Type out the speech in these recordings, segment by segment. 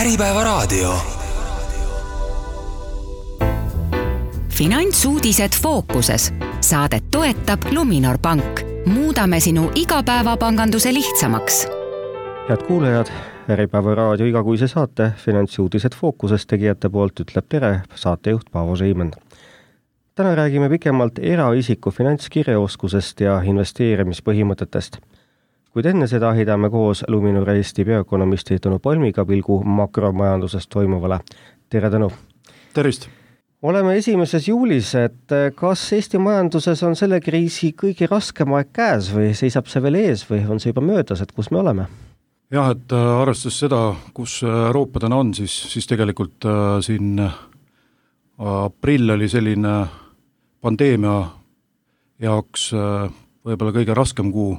Äripäevaraadio. Finantsuudised fookuses. Saadet toetab Luminor Pank. Muudame sinu igapäevapanganduse lihtsamaks. Head kuulajad, Äripäevaraadio igakuise saate Finantsuudised fookuses tegijate poolt ütleb tere saatejuht Paavo Seimen. Täna räägime pikemalt eraisiku finantskirjaoskusest ja investeerimispõhimõtetest. Kuid enne seda hidame koos Luminor Eesti peaökonomisti Tõnu Palmiga pilgu makromajandusest toimuvale. Tere Tõnu! Tervist! Oleme 1. juulis, et kas Eesti majanduses on selle kriisi kõige raskem aeg käes või seisab see veel ees või on see juba möödas, et kus me oleme? Jah, et arvestades seda, kus Euroopa täna on, siis tegelikult siin aprill oli selline pandeemia jaoks võib-olla kõige raskem kuu,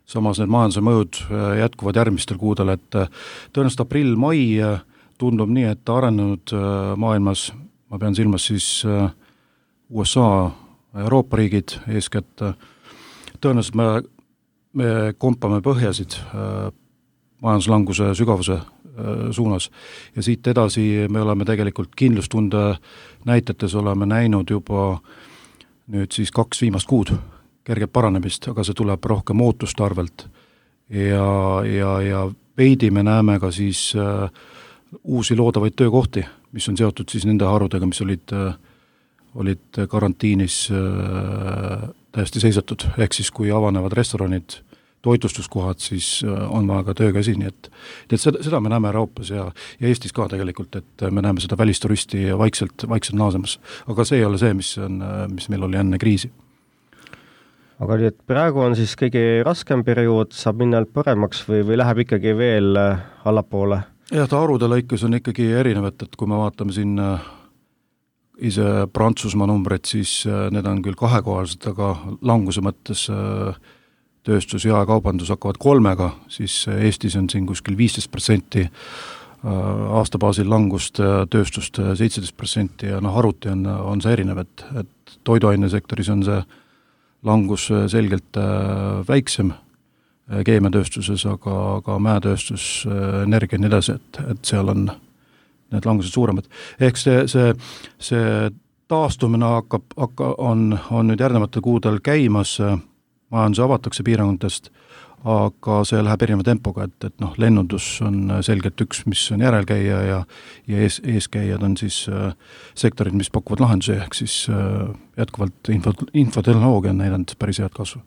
samas need majanduse mõjud jätkuvad järgmistel kuudel, et tõenäoliselt aprill-mai tundub nii, et arenenud maailmas, ma pean silmas siis USA, Euroopa riigid eeskätt, tõenäoliselt me kompame põhjasid majanduslanguse sügavuse suunas ja siit edasi me oleme tegelikult kindlustunde näitetes oleme näinud juba nüüd siis 2 viimast kuud kerget paranemist, aga see tuleb rohkem ootuste arvelt ja veidi me näeme ka siis uusi loodavaid töökohti, mis on seotud siis nende harudega, mis olid karantiinis täiesti seisatud, ehk siis kui avanevad restoranid, toitlustuskohad, siis on vaja ka töökäsi, nii et seda me näeme Euroopas ja Eestis ka tegelikult, et me näeme seda välisturisti vaikselt naasemas, aga see ei ole see, mis meil oli enne kriisi. Aga nii, et praegu on siis kõige raskem periood, saab minna paremaks või läheb ikkagi veel allapoole? Jah, ta arude lõikus on ikkagi erinevad, et kui me vaatame siin ise Prantsusmaa numbreid, siis need on küll kahekohalised, aga languse mõttes tööstus ja kaubandus hakkavad 3-ga, siis Eestis on siin kuskil 15% aastabaasil langust, tööstust 17% ja haruti on see erinev, et toiduainesektoris on see langus selgelt väiksem keemiatööstuses, aga mäetööstus, energia ja nii edasi, et seal on need langused suuremad. Ehk see taastumine on nüüd järgnevatel kuudel käimas, majandus avatakse piirangutest, aga see läheb erineva tempoga, et lennundus on selgelt üks, mis on järelkäija ja eeskäijad on siis sektorid, mis pakuvad lahendusi, ehk siis jätkuvalt infotehnoloogia on näidanud päris head kasvu.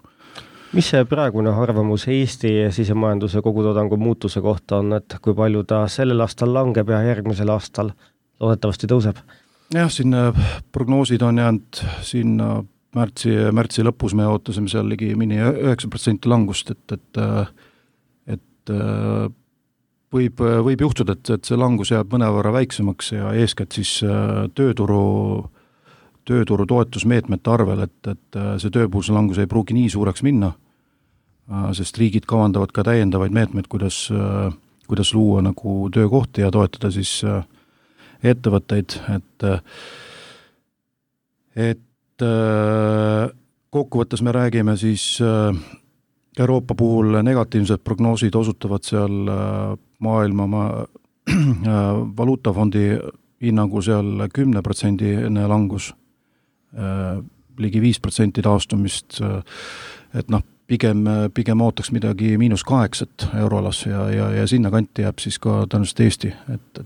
Mis see praegune arvamus Eesti sisemajanduse kogutoodangu muutuse kohta on, et kui palju ta sellel aastal langeb ja järgmisel aastal loodetavasti tõuseb? Jah, siin prognoosid on jäänud siin märtsi lõpus me ootasime seal ligi 9% langust, et võib juhtuda, et see langus jääb mõnevõrra väiksemaks ja eeskätt siis tööturu toetusmeetmete arvel, et see tööpuuduse langus ei pruugi nii suureks minna, sest riigid kavandavad ka täiendavaid meetmeid, kuidas luua nagu töökohti ja toetada siis ettevõtteid, et kokkuvõttes me räägime siis Euroopa puhul negatiivsed prognoosid osutavad seal maailma valuutafondi hinnangu seal 10% langus, ligi 5% taastumist, et pigem ootaks midagi -8 euroalas ja sinna kanti jääb siis ka tõenäoliselt Eesti, et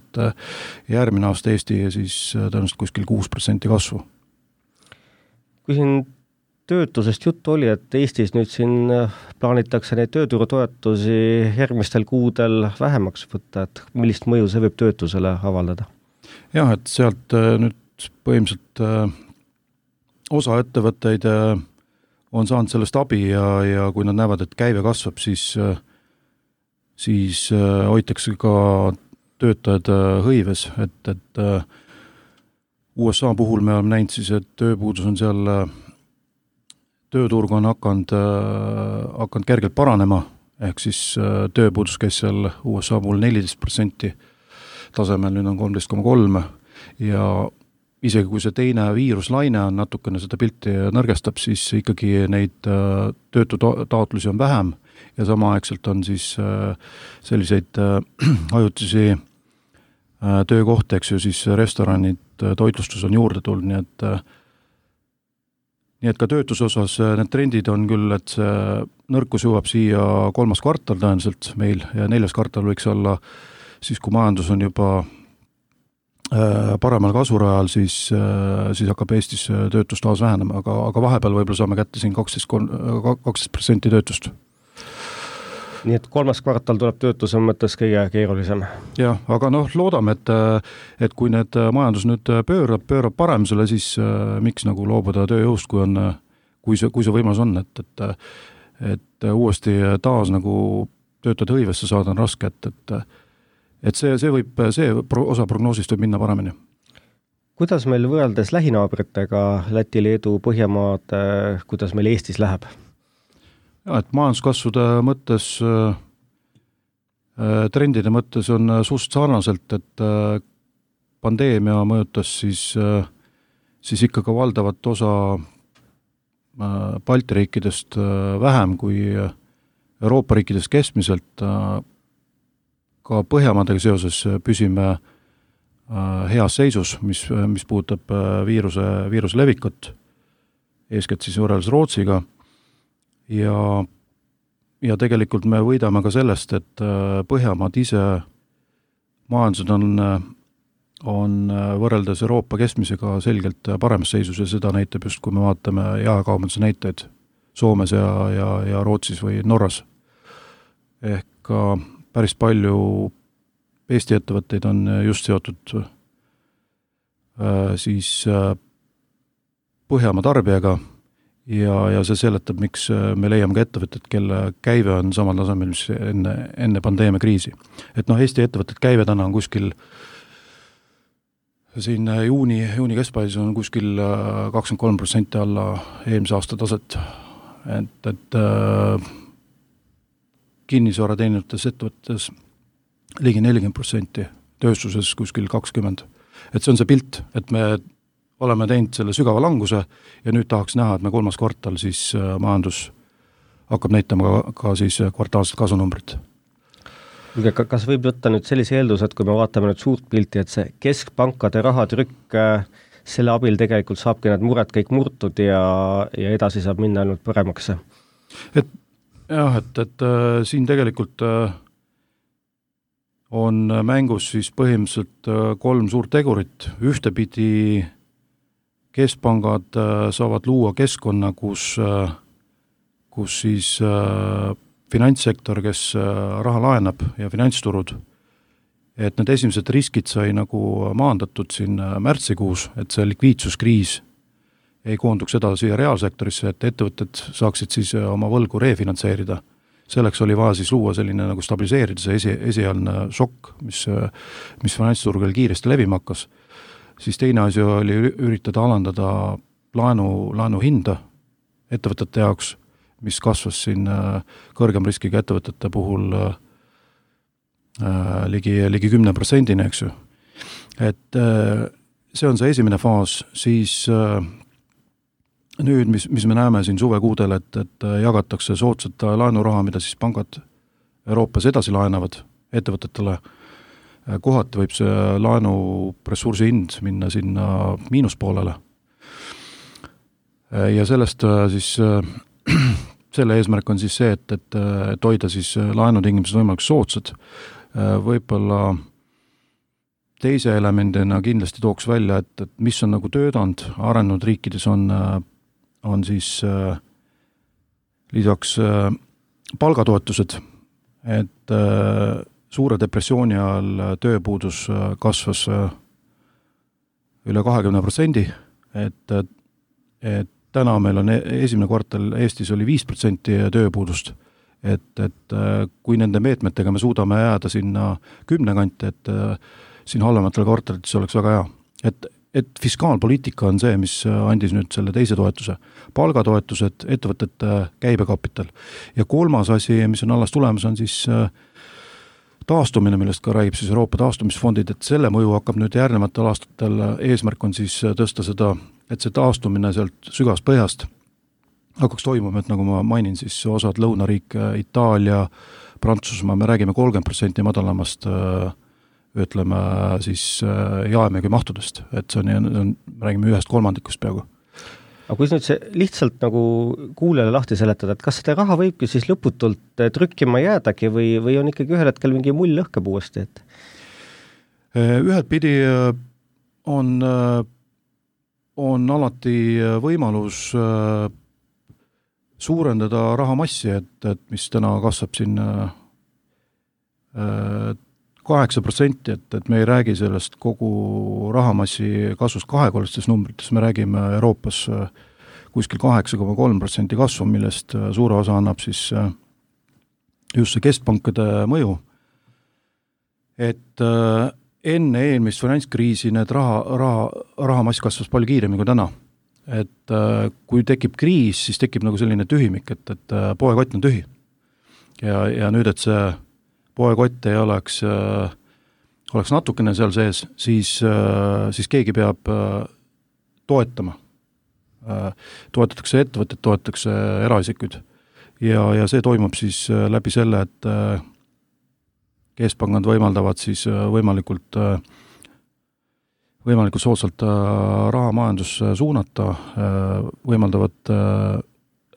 järgmine aasta Eesti siis tõenäoliselt kuskil 6% kasvu. Kui siin töötusest juttu oli, et Eestis nüüd siin plaanitakse neid tööturutoetusi järgmistel kuudel vähemaks võtta, et millist mõju see võib töötusele avaldada? Jah, et sealt nüüd põhimõtteliselt osa ettevõtteid on saanud sellest abi ja kui nad näevad, et käive kasvab, siis hoitakse ka töötajad hõives, et USA puhul me oleme näinud siis, et tööpuudus on seal, tööturg on hakanud kergelt paranema, ehk siis tööpuudus käis seal USA puhul 14% tasemel, nüüd on 13,3 ja isegi kui see teine viiruslaine on natukene seda pilti nõrgestab, siis ikkagi neid töötutaotlusi on vähem ja samaaegselt on siis selliseid ajutisi töökoht, eks ju, siis restoranid, toitlustus on juurde tulnud, nii et ka töötuse osas need trendid on küll, et see nõrkus jõuab siia 3. kvartal tõenäoliselt meil ja 4. kvartal võiks olla siis, kui majandus on juba paremal kasvurajal, siis hakkab Eestis töötus taas vähenema, aga vahepeal võib-olla saame kätte siin 12% töötust. Nii et 3. kvartal tuleb töötuse mõttes kõige keerulisem. Jah, aga loodame, et kui need majandus nüüd pöörab paremusele, siis miks nagu loobuda tööjõust, kui see võimalus on, et uuesti taas nagu töötajad hõivesse saada on raske, et see osa prognoosist võib minna paremini. Kuidas meil võrreldes lähinaabritega, Läti, Leedu, Põhjamaad, kuidas meil Eestis läheb? Ja, et majanduskasvude mõttes, trendide mõttes on suust sarnaselt, et pandeemia mõjutas siis ikka ka valdavat osa Balti riikidest vähem kui Euroopa riikidest keskmiselt. Ka Põhjamaadega seoses püsime heas seisus, mis puudutab viiruse levikut, eeskätt siis võrreldes Rootsiga. Ja tegelikult me võidame ka sellest, et Põhjamaad ise majandused on võrreldes Euroopa keskmisega selgelt paremas seisus ja seda näitab just, kui me vaatame jaekaubanduse näiteid Soomes ja Rootsis või Norras. Ehk päris palju Eesti ettevõtteid on just seotud siis Põhjamaa tarbijaga ja see seletab, miks me leiame ka ettevõtted, kelle käive on samal tasemel, mis enne pandeemia kriisi. Et Eesti ettevõtted käive täna on kuskil siin juuni keskpaises on kuskil 23% alla eelmise aasta taset. Et kinnisvara teenivates ettevõttes ligi 40%, tööstuses kuskil 20%. Et see on see pilt, et me oleme teinud selle sügava languse ja nüüd tahaks näha, et me 3. kvartal siis majandus hakkab näitama ka siis kvartaalset kasunumbrit. Kas võib võtta nüüd sellise eeldus, et kui me vaatame nüüd suurt pilti, et see keskpankade rahatrükk, selle abil tegelikult saabki need mured kõik murtud ja edasi saab minna ainult paremaks? Et siin tegelikult on mängus siis põhimõtteliselt 3 suurt tegurit. Ühtepidi keskpangad saavad luua keskkonna, kus siis finantssektor, kes raha laenab ja finantsturud, et need esimesed riskid sai nagu maandatud siin märtsikuus, et see likviidsuskriis ei koonduks edasi reaalsektorisse, et ettevõtted saaksid siis oma võlgu refinantseerida. Selleks oli vaja siis luua selline nagu stabiliseerida see esialgne šokk, mis finantsturgul kiiresti levima hakkas. Siis teine asi oli üritada alandada laenu hinda ettevõtete jaoks, mis kasvas siin kõrgem riskiga ettevõtete puhul ligi 10%, eks ju. Et see on see esimene faas, siis nüüd, mis me näeme siin suvekuudel, et jagatakse soodsat laenuraha, mida siis pangad Euroopas edasi laenavad ettevõtetele. Kohati võib see laenuressursi hind minna sinna miinuspoolele. Ja sellest siis selle eesmärk on siis see, et hoida siis laenutingimused võimalikult soodsad. Võib-olla teise elemendina kindlasti tooks välja, et mis on nagu töötanud arenenud riikides on siis lisaks palgatoetused, et suure depressiooni ajal tööpuudus kasvas üle 20%, et täna meil on esimene kvartal Eestis oli 5% tööpuudust, et kui nende meetmetega me suudame jääda sinna 10 kanti, et siin halvematel kvartalites oleks väga hea. Et fiskaalpoliitika on see, mis andis nüüd selle teise toetuse. Palgatoetused, ettevõtete käibekapital. Ja 3. asi, mis on alles tulemas, on siis taastumine, millest ka räägib siis Euroopa taastumisfondid, et selle mõju hakkab nüüd järgnevatel aastatel, eesmärk on siis tõsta seda, et see taastumine sealt sügavast põhjast hakkaks toimuma, et nagu ma mainin, siis osad lõunariik, Itaalia, Prantsusmaa, me räägime 30% madalamast ütleme siis jaemüügi mahtudest, et see on, räägime 1/3 peaaegu. Aga kui nüüd see lihtsalt nagu kuulele lahti seletada, et kas seda raha võibki siis lõputult trükkima jäädagi või on ikkagi ühel hetkel mingi mull lõhkeb uuesti, et? Ühelt pidi on alati võimalus suurendada rahamassi, et mis täna kasvab siin 8%, et me ei räägi sellest kogu rahamassi kasvust kahekordstes numbrites, me räägime Euroopas kuskil 8,3% kasvu, millest suure osa annab siis just see keskpankade mõju. Et enne eelmist finantskriisi need rahamass kasvas palju kiiremini kui täna. Et kui tekib kriis, siis tekib nagu selline tühimik, et poekott on tühi. Ja nüüd, et see poekott ei oleks natukene seal sees, siis keegi peab toetama. Toetatakse ettevõtted, toetatakse eraisikuid. Ja see toimub siis läbi selle, et keskpangad võimaldavad siis võimalikult soodsalt rahamajandusse suunata, võimaldavad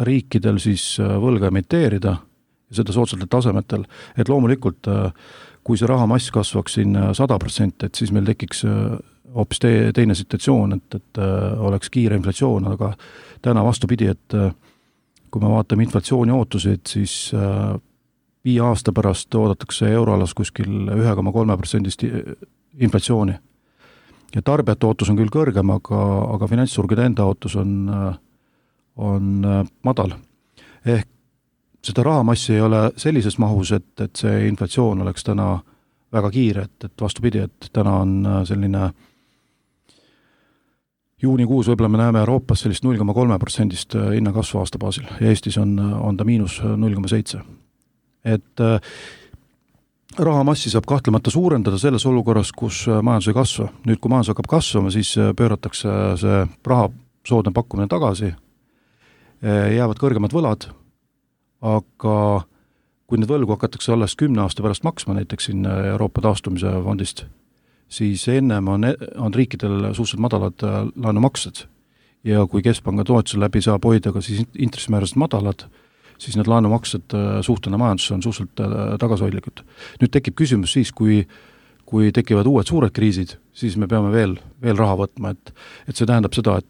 riikidel siis võlga emiteerida ja seda soodsatel tasemetel, et loomulikult kui see rahamass kasvaks siin 100%, et siis meil tekiks hoopis teine situatsioon, et oleks kiire inflatsioon, aga täna vastupidi, et kui me vaatame inflatsiooni ootuseid, siis 5 aasta pärast oodatakse euroalas kuskil 1,3% inflatsiooni. Ja tarbijate ootus on küll kõrgem, aga finantsturgude enda ootus on madal. Ehk seda rahamassi ei ole sellises mahus, et see inflatsioon oleks täna väga kiire, et vastupidi, et täna on selline juunikuus võib-olla me näeme Euroopas sellist 0,3% hinnakasvu aasta baasil ja Eestis on ta miinus 0,7%. Et rahamassi saab kahtlemata suurendada selles olukorras, kus majandus ei kasva. Nüüd, kui majandus hakkab kasvama, siis pööratakse see raha soodne pakkumine tagasi, jäävad kõrgemad võlad, aga kui need võlgu hakatakse alles 10 aasta pärast maksma, näiteks siin Euroopa taastumise fondist, siis ennem on riikidel suhteliselt madalad laenumaksed ja kui keskpanga toetuse läbi saab hoida ka siis intressimäärasid madalad, siis need laenumaksed suhtena majandusse on suhteliselt tagasihoidlikud. Nüüd tekib küsimus siis, kui tekivad uued suured kriisid, siis me peame veel raha võtma, et see tähendab seda,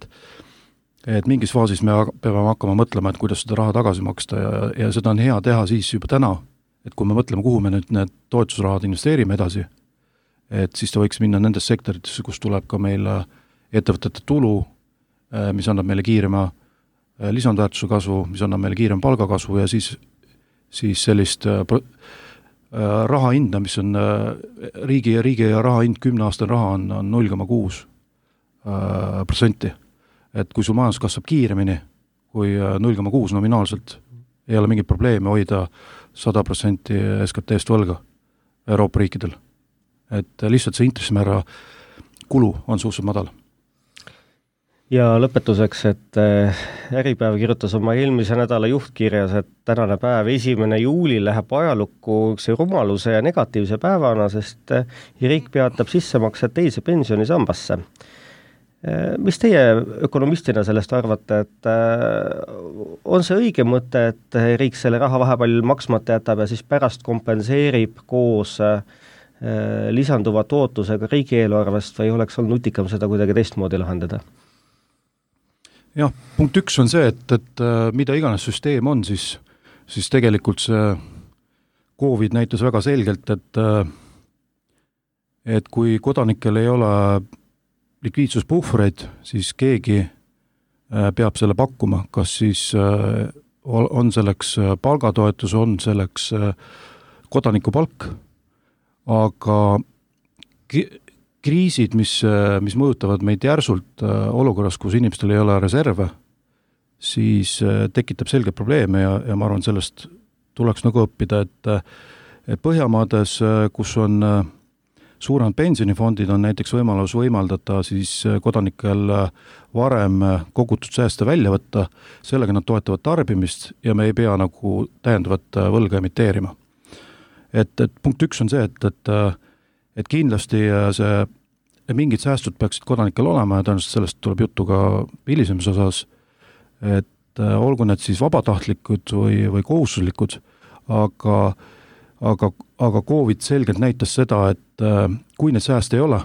et mingis faasis me peame hakkama mõtlema, et kuidas seda raha tagasi maksta ja seda on hea teha siis juba täna, et kui me mõtleme, kuhu me nüüd need toetusrahad investeerime edasi, et siis ta võiks minna nendes sektoritesse, kus tuleb ka meil ettevõtete tulu, mis annab meile kiirema lisandväärtuse kasvu, mis annab meile kiirem palgakasvu ja siis sellist raha hinda, mis on riigi raha hind, 10 aastane raha on 0,6%. Et kui sul majandus kasvab kiiremini kui 0,6 nominaalselt, ei ole mingit probleemi hoida 100% SKT-st võlga Euroopa riikidel. Et lihtsalt see intressimäära kulu on suhteliselt madal. Ja lõpetuseks, et Äripäev kirjutas oma eelmise nädala juhtkirjas, et tänane päev 1. juuli läheb ajalukku üks rumaluse ja negatiivse päevana, sest riik peatab sissemaksed teise pensionisambasse. Mis teie ökonomistina sellest arvate, et on see õige mõte, et riik selle raha vahepeal maksmata jätab ja siis pärast kompenseerib koos lisanduva tootusega riigieelarvest või oleks olnud nutikam seda kuidagi teistmoodi lahendada? Jah, punkt 1 on see, et mida iganes süsteem on, siis tegelikult see COVID näitas väga selgelt, et kui kodanikel ei ole likviidsuspuhvreid, siis keegi peab selle pakkuma, kas siis on selleks palgatoetus, on selleks kodanikupalk, aga kriisid, mis mõjutavad meid järsult olukorras, kus inimestel ei ole reserve, siis tekitab selge probleeme ja ma arvan, sellest tuleks nagu õppida, et Põhjamaades, kus on suuremad pensionifondid, on näiteks võimaldada siis kodanikel varem kogutud sääste välja võtta, sellega nad toetavad tarbimist ja me ei pea nagu täiendavat võlga emiteerima. Et punkt 1 on see, et kindlasti mingid säästud peaksid kodanikel olema ja tõenäoliselt sellest tuleb juttu ka hilisemas osas, et olgu need siis vabatahtlikud või kohustuslikud, aga COVID selgelt näitas seda, et kui need sääste ei ole,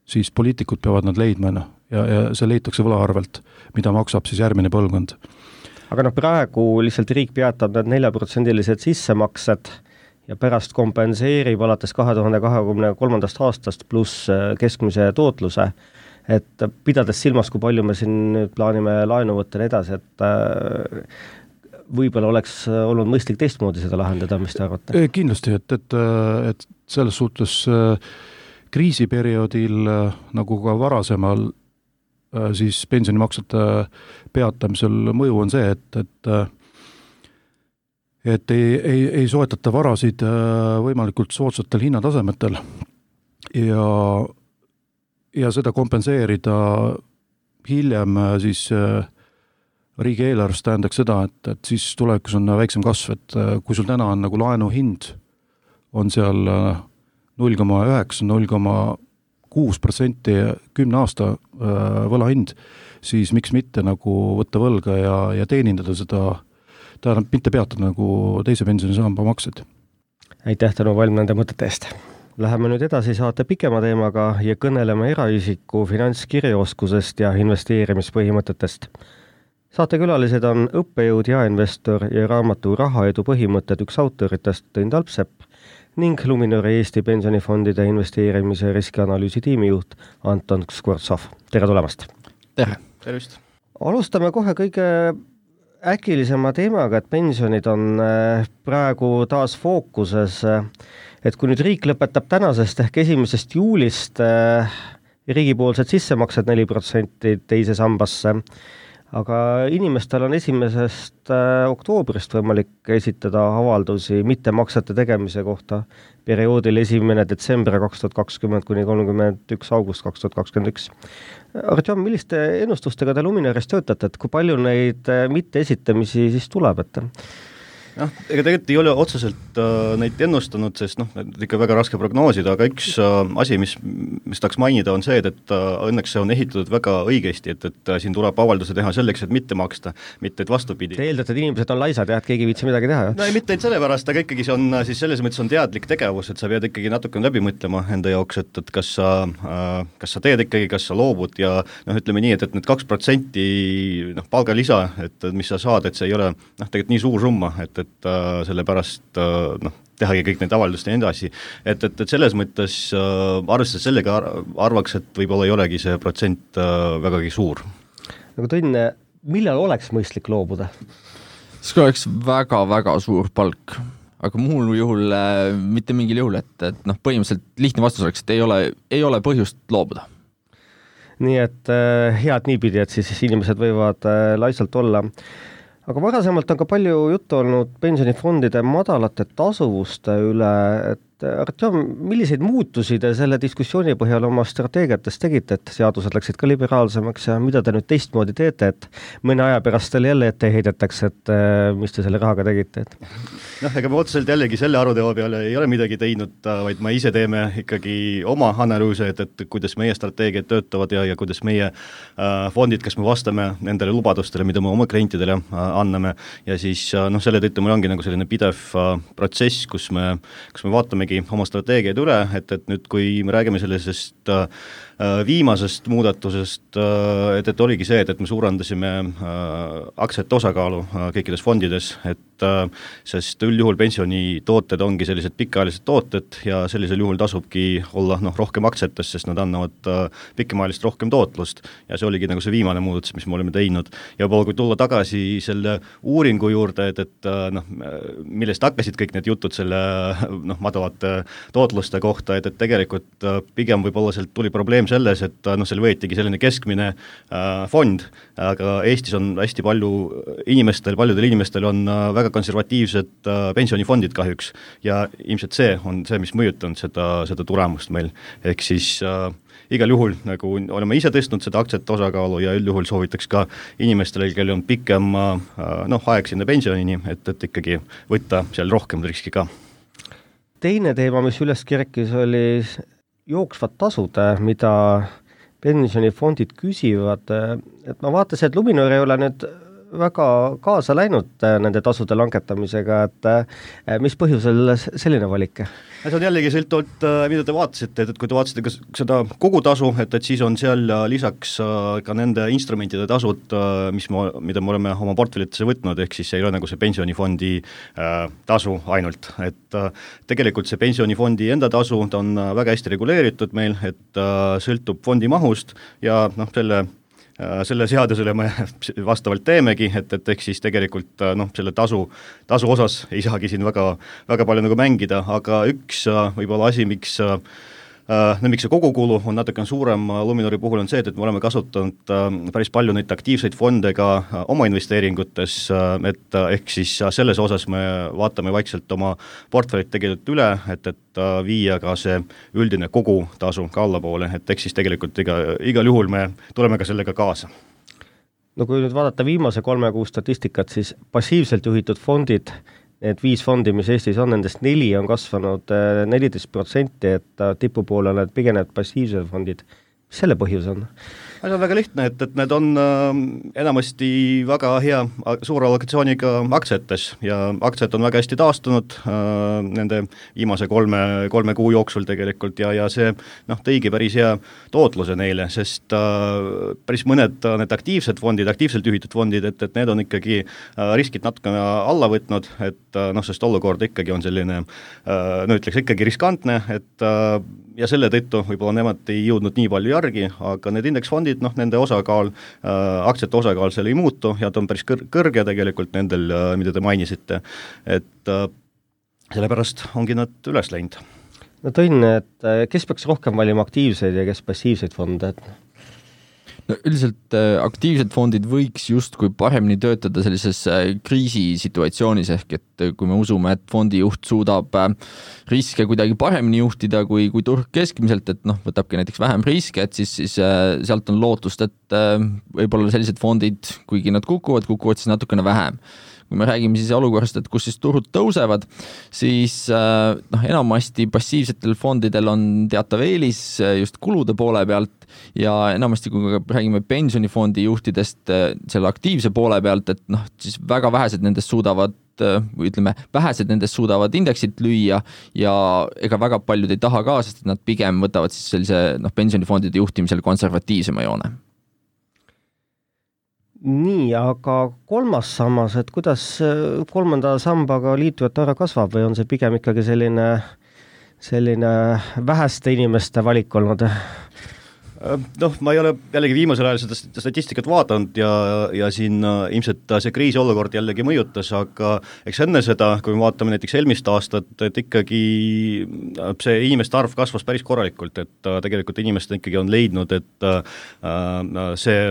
siis poliitikud peavad nad leidma ja see leitakse võla arvelt, mida maksab siis järgmine põlvkond. Aga praegu lihtsalt riik peatab need 4% sissemaksed ja pärast kompenseerib alates 2023. aastast pluss keskmise tootluse, et pidades silmas, kui palju me siin plaanime laenu võtta ja edasi, et võib-olla oleks olnud mõistlik teistmoodi seda lahendada, mis te arvate? Kindlasti, et selles suhtes kriisiperioodil, nagu ka varasemal, siis pensionimaksete peatamisel mõju on see, et ei soetata varasid võimalikult soodsatel hinnatasemetel ja seda kompenseerida hiljem siis riigieelarvest tähendaks seda, et siis tulevikus on väiksem kasv, et kui sul täna on nagu laenu hind on seal 0,9, 0,6% 10 aasta võlahind, siis miks mitte nagu võtta võlga ja teenindada seda, tähendab mitte peatada nagu teise pensionisamba maksed. Aitäh, Tõnu Valm, nende mõtete eest. Läheme nüüd edasi saate pikema teemaga ja kõneleme eraisiku finantskirjaoskusest ja investeerimispõhimõtetest. Saatekülalised on õppejõud ja investor ja raamatu Rahaedu põhimõtted üks autoritest Tõin Talpsepp ning Luminori Eesti pensionifondide investeerimise riskianalüüsi tiimijuht Anton Skvortsov. Tere tulemast! Tere! Tervist! Alustame kohe kõige äkilisema teemaga, et pensionid on praegu taas fookuses, et kui nüüd riik lõpetab tänasest ehk 1. juulist riigipoolsed sissemaksed 4% teise sambasse, aga inimestel on 1. oktoobrist võimalik esitada avaldusi mittemaksete tegemise kohta perioodil 1. detsember 2020 kuni 31. august 2021. Artjom, milliste ennustustega te Luminaris töötate, et kui palju neid mitteesitamisi siis tuleb, et? Ega tegelikult ei ole otseselt neid ennustanud, sest ikka väga raske prognoosida, aga üks asi, mis tahaks mainida, on see, et õnneks see on ehitatud väga õigesti, et siin tuleb avalduse teha selleks, et mitte maksta, mitte et vastupidi. Te eeldate, et inimesed on laisad ja et keegi viitsi midagi teha? No ei, mitte sellepärast, aga ikkagi see on siis selles mõttes on teadlik tegevus, et sa pead ikkagi natukene läbi mõtlema enda jaoks, et kas sa teed ikkagi, kas sa loobud ja ütleme nii, et need 2% palgalisa, et mis sa saad, et see ei ole tegelikult nii suur summa, et sellepärast tehagi kõik need avaldust ja edasi, et selles mõttes arvestades sellega arvaks, et võib-olla ei olegi see protsent vägagi suur. Nagu Tõnn, millal oleks mõistlik loobuda? See oleks väga-väga suur palk, aga muul juhul mitte mingil juhul, et põhimõtteliselt lihtne vastus oleks, et ei ole põhjust loobuda. Nii et head niipidi, et siis inimesed võivad laisalt olla. Aga varasemalt on ka palju juttu olnud pensionifondide madalate tasuvuste üle, et Artjom, milliseid muutusi te selle diskussiooni põhjal oma strateegiates tegite, et seadused läksid ka liberaalsemaks ja mida te nüüd teistmoodi teete, et mõne aja pärast teil jälle ette heidetakse, et mis te selle rahaga tegite? Ega me otseselt jällegi selle aruteo peale ei ole midagi teinud, vaid me ise teeme ikkagi oma analüüse, et kuidas meie strateegiad töötavad ja kuidas meie fondid, kas me vastame nendele lubadustele, mida me oma klientidele anname ja siis selle tõttu meil ongi nagu selline pidev protsess, kus me vaatamegi oma strateegiaid üle, et nüüd kui me räägime sellisest viimasest muudatusest, et oligi see, et me suurendasime aktsiate osakaalu kõikides fondides, sest üldjuhul pensionitooted ongi sellised pikaajalised tooted ja sellisel juhul tasubki olla rohkem aktsiates, sest nad annavad pikemaajalist rohkem tootlust ja see oligi nagu see viimane muudatus, mis me oleme teinud. Ja kui tulla tagasi selle uuringu juurde, et millest hakkasid kõik need jutud selle madalate tootluste kohta, et tegelikult pigem võib-olla sealt tuli probleem selles, et seal võetigi selline keskmine fond, aga Eestis on hästi paljudel inimestel on väga konservatiivsed pensionifondid kahjuks ja ilmselt see on see, mis mõjutanud seda tulemust meil. Ehk siis igal juhul nagu oleme ise tõstnud seda aktsiate osakaalu ja üldjuhul soovitaks ka inimestele, kellel on pikem aeg sinna pensionini, et ikkagi võtta seal rohkem riski ka. Teine teema, mis üles kerkis, oli jooksvad tasud, mida pensionifondid küsivad, et ma vaatasin, et Luminor ei ole nüüd väga kaasa läinud nende tasude langetamisega, et mis põhjusel selline valik? See on jällegi sõltuvalt, mida te vaatasite, et kui te vaatasite seda kogutasu, et siis on seal lisaks ka nende instrumentide tasud, mida me oleme oma portfellitesse võtnud, ehk siis see ei ole nagu see pensionifondi tasu ainult, et tegelikult see pensionifondi enda tasu, ta on väga hästi reguleeritud meil, et sõltub fondi mahust ja selle seadusele me vastavalt teemegi, et ehk siis tegelikult selle tasu osas ei saagi siin väga palju nagu mängida, aga üks võib-olla asi, miks see kogukulu on natuke suurem Luminori puhul on see, et me oleme kasutanud päris palju neid aktiivseid fonde ka oma investeeringutes, et ehk siis selles osas me vaatame vaikselt oma portfellit tegelikult üle, et viia ka see üldine kogutasu ka allapoole, et ehk siis tegelikult igal juhul me tuleme ka sellega kaasa. No kui nüüd vaadata viimase 3 kuu statistikat, siis passiivselt juhitud fondid, need 5 fondi, mis Eestis on, nendest 4 on kasvanud 14%, et tipupoole need pigenevad passiivsed fondid. Mis selle põhjus on? See on väga lihtne, et need on enamasti väga hea suure allokatsiooniga aktsiates ja aktsiad on väga hästi taastunud nende viimase 3 kuu jooksul tegelikult ja see tõigi päris hea tootluse neile, sest päris mõned need aktiivselt juhitud fondid, et need on ikkagi riskid natukene alla võtnud, et sest olukord ikkagi on selline, ütleks ikkagi riskantne, et ja selle tõttu võib-olla nemad ei jõudnud nii palju järgi, aga need indeksfondid, nende osakaal, aktsiate osakaal seal ei muutu ja ta on päris kõrge tegelikult nendel, mida te mainisite, et sellepärast ongi nad üles läinud. No tõin, et kes peaks rohkem valima aktiivseid ja kes passiivseid fonde? No üldiselt aktiivsed fondid võiks justkui paremini töötada sellises kriisisituatsioonis, ehk et kui me usume, et fondijuht suudab riske kuidagi paremini juhtida kui turg keskmiselt, et võtabki näiteks vähem riske, et siis sealt on lootust, et võib-olla sellised fondid, kuigi nad kukuvad siis natukene vähem. Kui me räägime siis olukorrast, et kus siis turud tõusevad, siis enamasti passiivsetel fondidel on teatav eelis just kulude poole pealt ja enamasti, kui me räägime pensionifondi juhtidest selle aktiivse poole pealt, et siis väga vähesed nendest suudavad indeksit lüüa ja ega väga paljud ei taha ka, sest nad pigem võtavad siis sellise pensionifondide juhtimisel konservatiivsema joone. Nii, aga 3. sammas, et kuidas 3. sambaga liitujate arv kasvab või on see pigem ikkagi selline väheste inimeste valik olnud? Ma ei ole jällegi viimasel ajal seda statistikat vaadanud ja siin ilmselt see kriisiolukord jällegi mõjutas, aga eks enne seda, kui me vaatame näiteks eelmist aastat, et ikkagi see inimeste arv kasvas päris korralikult, et tegelikult inimesed ikkagi on leidnud, et see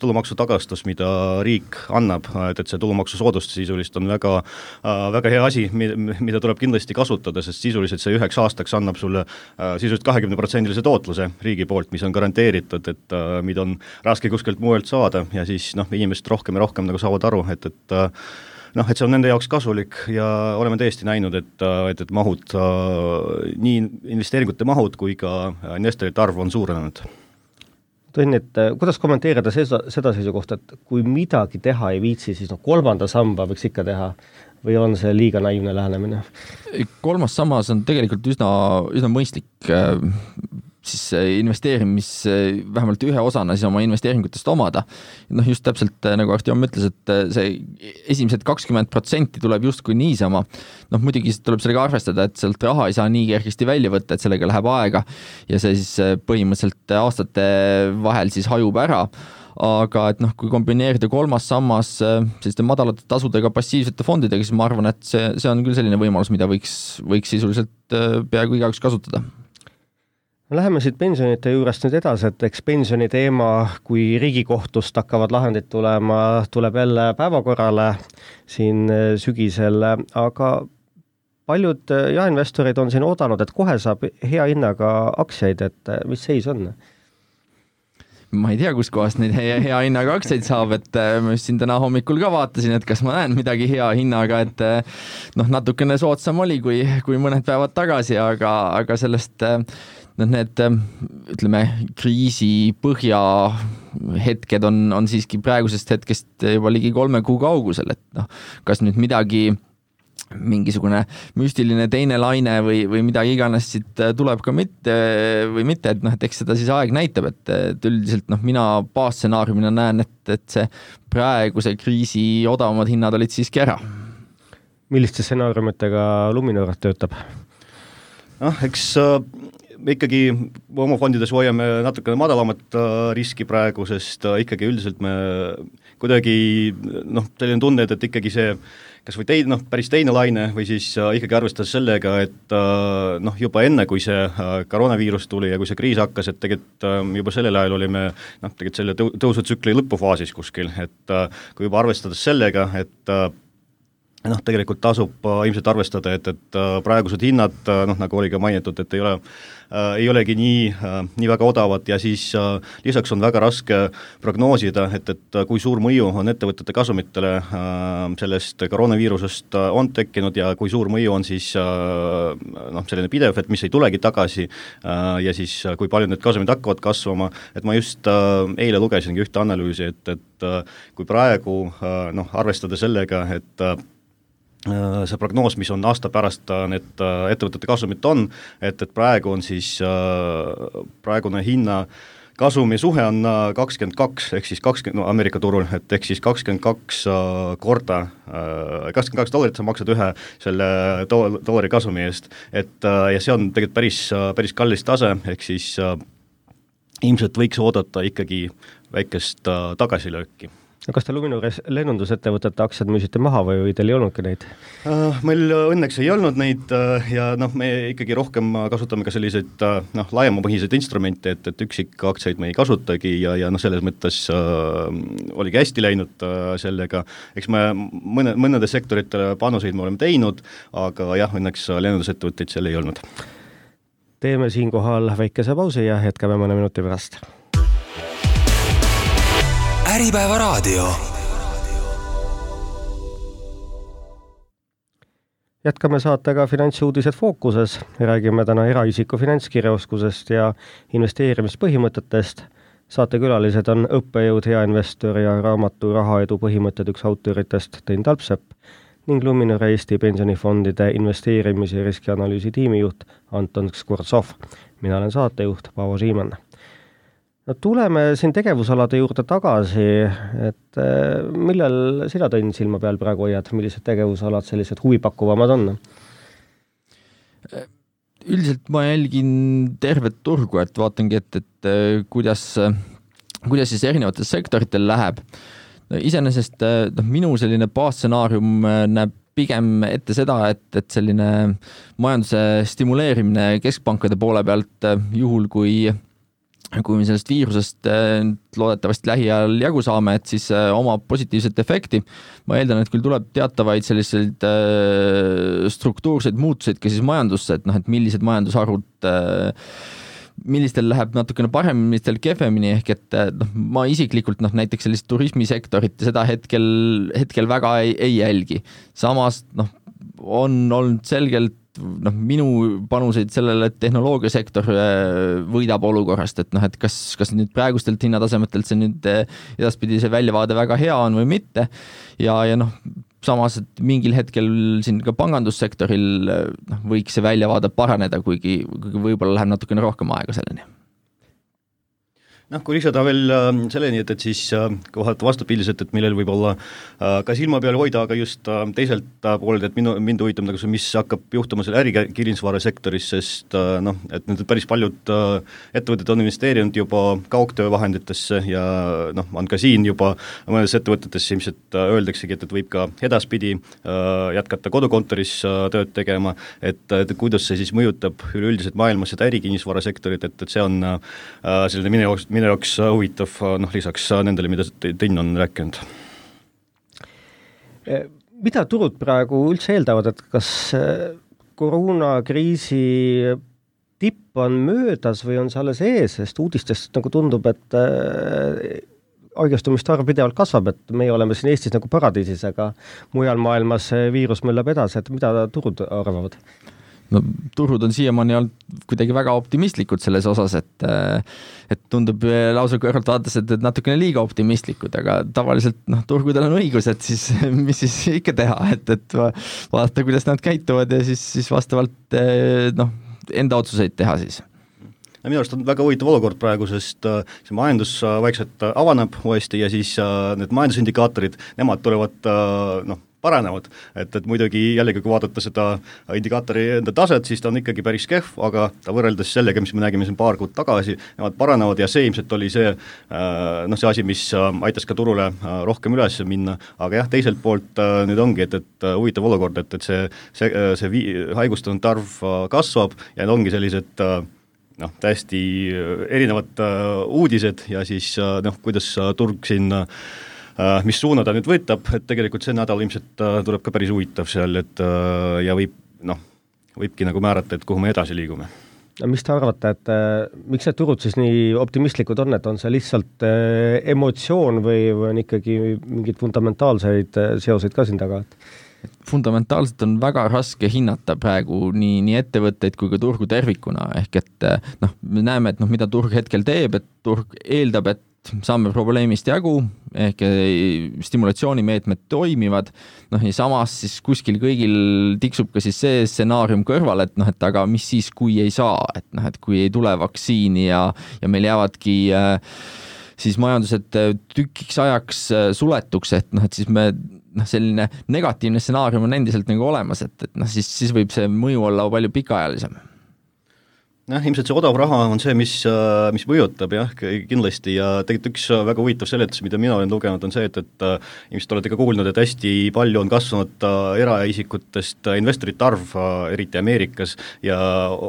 tulumaksutagastus, mida riik annab, et see tulumaksusoodustus sisuliselt on väga hea asi, mida tuleb kindlasti kasutada, sest sisuliselt see 9 aastaks annab sulle sisuliselt 20% tootluse riigi poolt, mis on garanteeritud, et mida on raske kuskilt muuelt saada ja siis inimesed rohkem ja rohkem nagu saavad aru, et see on nende jaoks kasulik ja oleme tõesti näinud, et mahud, nii investeeringute mahud kui ka investorite arv on suurenenud. Tõin, et kuidas kommenteerida seda seisukohta, et kui midagi teha ei viitsi, siis 3. samba võiks ikka teha või on see liiga naiivne lähenemine? 3. sammas on tegelikult üsna mõistlik siis investeerimis vähemalt ühe osana siis oma investeeringutest omada. Just täpselt nagu Artjom ütles, et see esimesed 20% tuleb justkui niisama. Muidugi tuleb sellega arvestada, et sealt raha ei saa nii kergesti välja võtta, et sellega läheb aega ja see siis põhimõtteliselt aastate vahel siis hajub ära. Aga et kui kombineerida 3. sammas selliste madalate tasudega passiivsete fondidega, siis ma arvan, et see on küll selline võimalus, mida võiks sisuliselt peaaegu igaüks kasutada. Läheme siit pensionite juurest nüüd edasi, et eks pensioni teema, kui Riigikohtust hakkavad lahendid tulema, tuleb jälle päevakorrale siin sügisel, aga paljud jaeinvestorid on siin oodanud, et kohe saab hea hinnaga aktsiaid, et mis seis on? ma ei tea, kus kohast neid hea hinnaga aktsiaid saab, et ma just siin täna hommikul ka vaatasin, et kas ma näen midagi hea hinnaga, et natukene soodsam oli kui mõned päevad tagasi, aga sellest need, ütleme, kriisi põhja hetked on siiski praegusest hetkest juba ligi 3 kuu kaugusel, et kas nüüd mingisugune müstiline teine laine või midagi iganes siit tuleb ka mitte, et eks seda siis aeg näitab, et üldiselt mina baasstsenaariumina näen, et see praeguse kriisi odavamad hinnad olid siiski ära. Milliste stsenaariumitega Luminor töötab? Eks me ikkagi oma fondides hoiame natukene madalamat riski praegu, sest ikkagi üldiselt me kuidagi selline tunne, et ikkagi see kas või päris teine laine või siis ikkagi arvestades sellega, et juba enne, kui see koroonaviirus tuli ja kui see kriis hakkas, et tegelikult juba sellel ajal olime tegelikult selle tõusutsükli lõpufaasis kuskil, et kui juba arvestades sellega, et tegelikult tasub ilmselt arvestada, et praegused hinnad, nagu oli ka mainitud, et ei olegi nii väga odavad ja siis lisaks on väga raske prognoosida, et kui suur mõju on ettevõtete kasumitele sellest koroonaviirusest on tekkinud ja kui suur mõju on siis selline pidev, et mis ei tulegi tagasi ja siis kui palju need kasumid hakkavad kasvama, et ma just eile lugesingi ühte analüüsi, et kui praegu arvestada sellega, et see prognoos, mis on aasta pärast need ettevõtete kasumit on, et praegu on siis praegune hinna kasumi suhe on 22, ehk siis 20 Ameerika turul, et ehk siis 22 korda, $22 sa maksad ühe selle dollari kasumi eest, et ja see on tegelikult päris kallis tase, ehk siis ilmselt võiks oodata ikkagi väikest tagasilööki. Kas te Luminores lennundusettevõtete aktsiad müüsite maha või teil ei olnudki neid? Meil õnneks ei olnud neid ja me ikkagi rohkem kasutame ka selliseid laiemapõhiseid instrumente, et üksikaktsiaid me ei kasutagi ja selles mõttes oligi hästi läinud sellega. Eks me mõnede sektoritele panuseid me oleme teinud, aga jah, õnneks lennundusettevõtteid seal ei olnud. Teeme siinkohal väikese pausi ja jätkame mõne minuti pärast. Äripäeva raadio. Jätkame saatega Finantsuudised fookuses. Räägime täna eraisiku finantskirjaoskusest ja investeerimispõhimõtetest. Saatekülalised on õppejõud, hea investor ja raamatu Rahaedu põhimõtted üks autoritest Tõin Talpsepp ning Luminor Eesti pensionifondide investeerimis- ja riskianalüüsi tiimijuht Anton Skvortsov. Mina olen saatejuht Paavo Siimann. Tuleme siin tegevusalade juurde tagasi, et millal sina Tõin silma peal praegu hoiad, millised tegevusalad sellised huvipakkuvamad on? Üldiselt ma jälgin tervet turgu, et vaatangi, et kuidas siis erinevates sektoritel läheb. Iseenesest minu selline baasstsenaarium näeb pigem ette seda, et selline majanduse stimuleerimine keskpankade poole pealt juhul, kui me sellest viirusest loodetavasti lähiajal jagu saame, et siis oma positiivset efekti. Ma eeldan, et küll tuleb teatavaid selliseid struktuurseid muutuseid ka siis majandusse, et millised majandusharud millistel läheb natukene paremini, millistel kehvemini, ehk et ma isiklikult näiteks sellist turismisektorit seda hetkel väga ei jälgi. Samas on olnud selgelt minu panuseid sellele, et tehnoloogiasektor võidab olukorrast, et kas nüüd praegustelt hinnatasemetelt see nüüd edaspidi see väljavaade väga hea on või mitte ja samas, et mingil hetkel siin ka pangandussektoril võiks see väljavaade paraneda, kuigi võib-olla läheb natukene rohkem aega selleni. Kui lisada veel selleni, et siis kohalt vastupildiselt, et millel võib olla ka silma peal hoida, aga just teiselt poolelt, et mind huvitab, mis hakkab juhtuma selle ärikirjandusvara sektoris, sest et nüüd päris paljud ettevõtted on investeerinud juba kaugtöövahenditesse ja on ka siin juba mõnes ettevõtetes ilmselt öeldaksegi, et võib ka edaspidi jätkata kodukontoris tööd tegema, et kuidas see siis mõjutab üleüldiselt maailmas seda ärikirjandusvara sektorit, et see on selline minu jaoks huvitav lisaks nendele, mida Tõin on rääkinud. Mida turud praegu üldse eeldavad, et kas koroonakriisi tipp on möödas või on see alles ees, sest uudistest nagu tundub, et haigestumiste arv pidevalt kasvab, et meie oleme siin Eestis nagu paradiisis, aga mujal maailmas viirus möllab edasi, et mida turud arvavad? No turud on siiamaani olnud kuidagi väga optimistlikud selles osas, et tundub lausa kõrvalt vaadates, et natukene liiga optimistlikud, aga tavaliselt turgudel on õigus, et siis mis siis ikka teha, et vaadata, kuidas nad käituvad ja siis vastavalt enda otsuseid teha siis. Minu arust on väga huvitav olukord praegu, sest see majandus vaikselt avaneb uuesti ja siis need majandusindikaatorid, nemad tulevad paranevad, et muidugi jällegi, kui vaadata seda indikaatori enda taset, siis ta on ikkagi päris kehv, aga ta võrreldes sellega, mis me nägime siin paar kuud tagasi, nemad paranevad ja see ilmselt oli see see asi, mis aitas ka turule rohkem üles minna, aga jah, teiselt poolt nüüd ongi, et huvitav olukord, et see haigustunud arv kasvab ja need ongi sellised täiesti erinevad uudised ja siis kuidas turg siin mis suuna ta nüüd võtab, et tegelikult see nädal ilmselt tuleb ka päris huvitav seal, et ja võibki nagu määrata, et kuhu me edasi liigume. Mis te arvate, et miks need turud siis nii optimistlikud on, et on see lihtsalt emotsioon või on ikkagi mingeid fundamentaalseid seoseid ka siin taga? Fundamentaalselt on väga raske hinnata praegu nii ettevõtteid kui ka turgu tervikuna, ehk et me näeme, et mida turg hetkel teeb, et turg eeldab, et saame probleemist jagu, ehk stimulatsioonimeetmed toimivad, ja samas siis kuskil kõigil tiksub ka siis see stsenaarium kõrval, et aga mis siis, kui ei saa, et kui ei tule vaktsiini ja meil jäävadki siis majandused tükiks ajaks suletuks, et siis me selline negatiivne stsenaarium on endiselt nagu olemas, et siis võib see mõju olla palju pikaajalisem. Ilmselt see odav raha on see, mis mõjutab jah, kindlasti ja tegelikult üks väga huvitav seletus, mida mina olen lugenud, on see, et ilmselt olete ka kuulnud, et hästi palju on kasvanud eraisikutest investorite arv, eriti Ameerikas, ja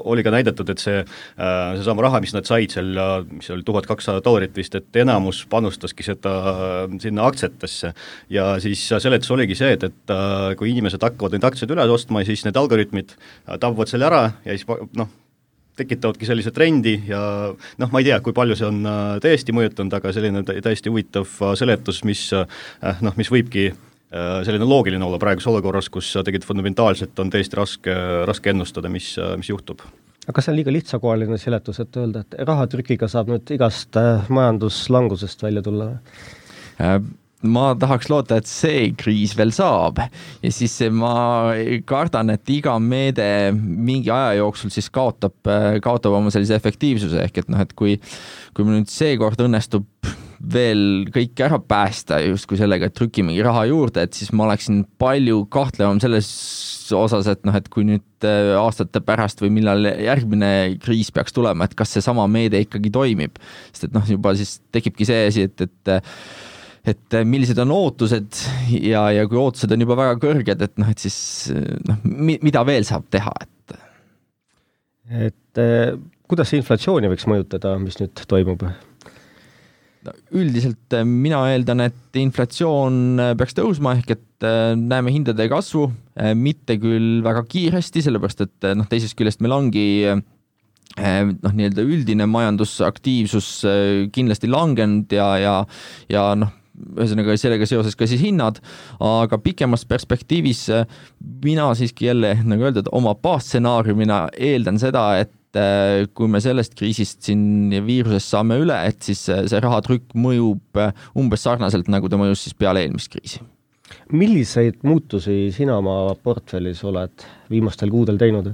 oli ka näidatud, et seesama raha, mis nad said seal, mis oli $1200 vist, et enamus panustaski seda sinna aktsiatesse ja siis seletus oligi see, et kui inimesed hakkavad neid aktsiaid üle ostma, siis need algoritmid tabavad selle ära ja siis tekitavadki sellise trendi ja ma ei tea, kui palju see on täiesti mõjutanud, aga selline täiesti huvitav seletus, mis võibki selline loogiline olla praeguses olukorras, kus tegelikult fundamentaalselt on täiesti raske ennustada, mis juhtub. Aga kas see on liiga lihtsakohaline seletus, et öelda, et rahatrükiga saab nüüd igast majanduslangusest välja tulla? Ma tahaks loota, et see kriis veel saab ja siis ma kardan, et iga meede mingi aja jooksul siis kaotab oma sellise efektiivsuse, ehk et kui meil nüüd seekord õnnestub veel kõik ära päästa justkui sellega, et trükimegi raha juurde, et siis ma oleksin palju kahtlevam selles osas, et kui nüüd aastate pärast või millal järgmine kriis peaks tulema, et kas see sama meede ikkagi toimib, sest et juba siis tekibki see asi, et millised on ootused ja kui ootused on juba väga kõrged, et siis mida veel saab teha? Et kuidas see inflatsiooni võiks mõjutada, mis nüüd toimub? Üldiselt mina eeldan, et inflatsioon peaks tõusma, ehk et näeme hindade kasvu, mitte küll väga kiiresti, sellepärast et teisest küljest meil ongi nii-öelda üldine majandusaktiivsus kindlasti langenud ja ühesõnaga sellega seoses ka siis hinnad, aga pikemas perspektiivis mina siiski jälle, nagu öeldud, oma baasstsenaariumina eeldan seda, et kui me sellest kriisist siin viirusest saame üle, et siis see rahatrükk mõjub umbes sarnaselt, nagu ta mõjus siis peale eelmist kriisi. Milliseid muutusi sina oma portfellis oled viimastel kuudel teinud?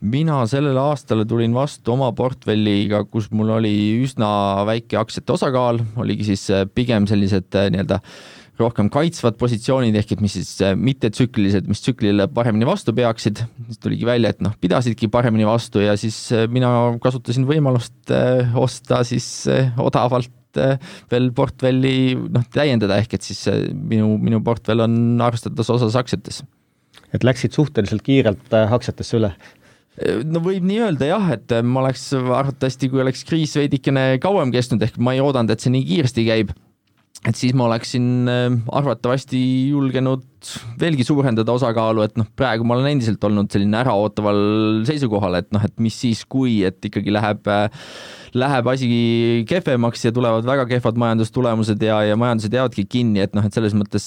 Mina sellel aastal tulin vastu oma portfelliga, kus mul oli üsna väike aktsiate osakaal, oligi siis pigem sellised nii-öelda rohkem kaitsvad positsioonid, ehk et mis siis mitte tsüklilised, mis tsüklile paremini vastu peaksid. Siis tuligi välja, et pidasidki paremini vastu ja siis mina kasutasin võimalust osta siis odavalt veel portfelli täiendada, ehk et siis minu portfell on arvestades osas aktsiates. Et läksid suhteliselt kiirelt aktsiatesse üle? No võib nii öelda jah, et ma oleks arvatavasti, kui oleks kriis veidikene kauem kestnud, ehk ma ei oodanud, et see nii kiiresti käib, et siis ma oleksin arvatavasti julgenud veelgi suurendada osakaalu, et praegu ma olen endiselt olnud selline äraootaval seisukohal, et et mis siis, kui et ikkagi läheb asi kehvemaks ja tulevad väga kehvad majandustulemused ja majandused jäävadki kinni, et selles mõttes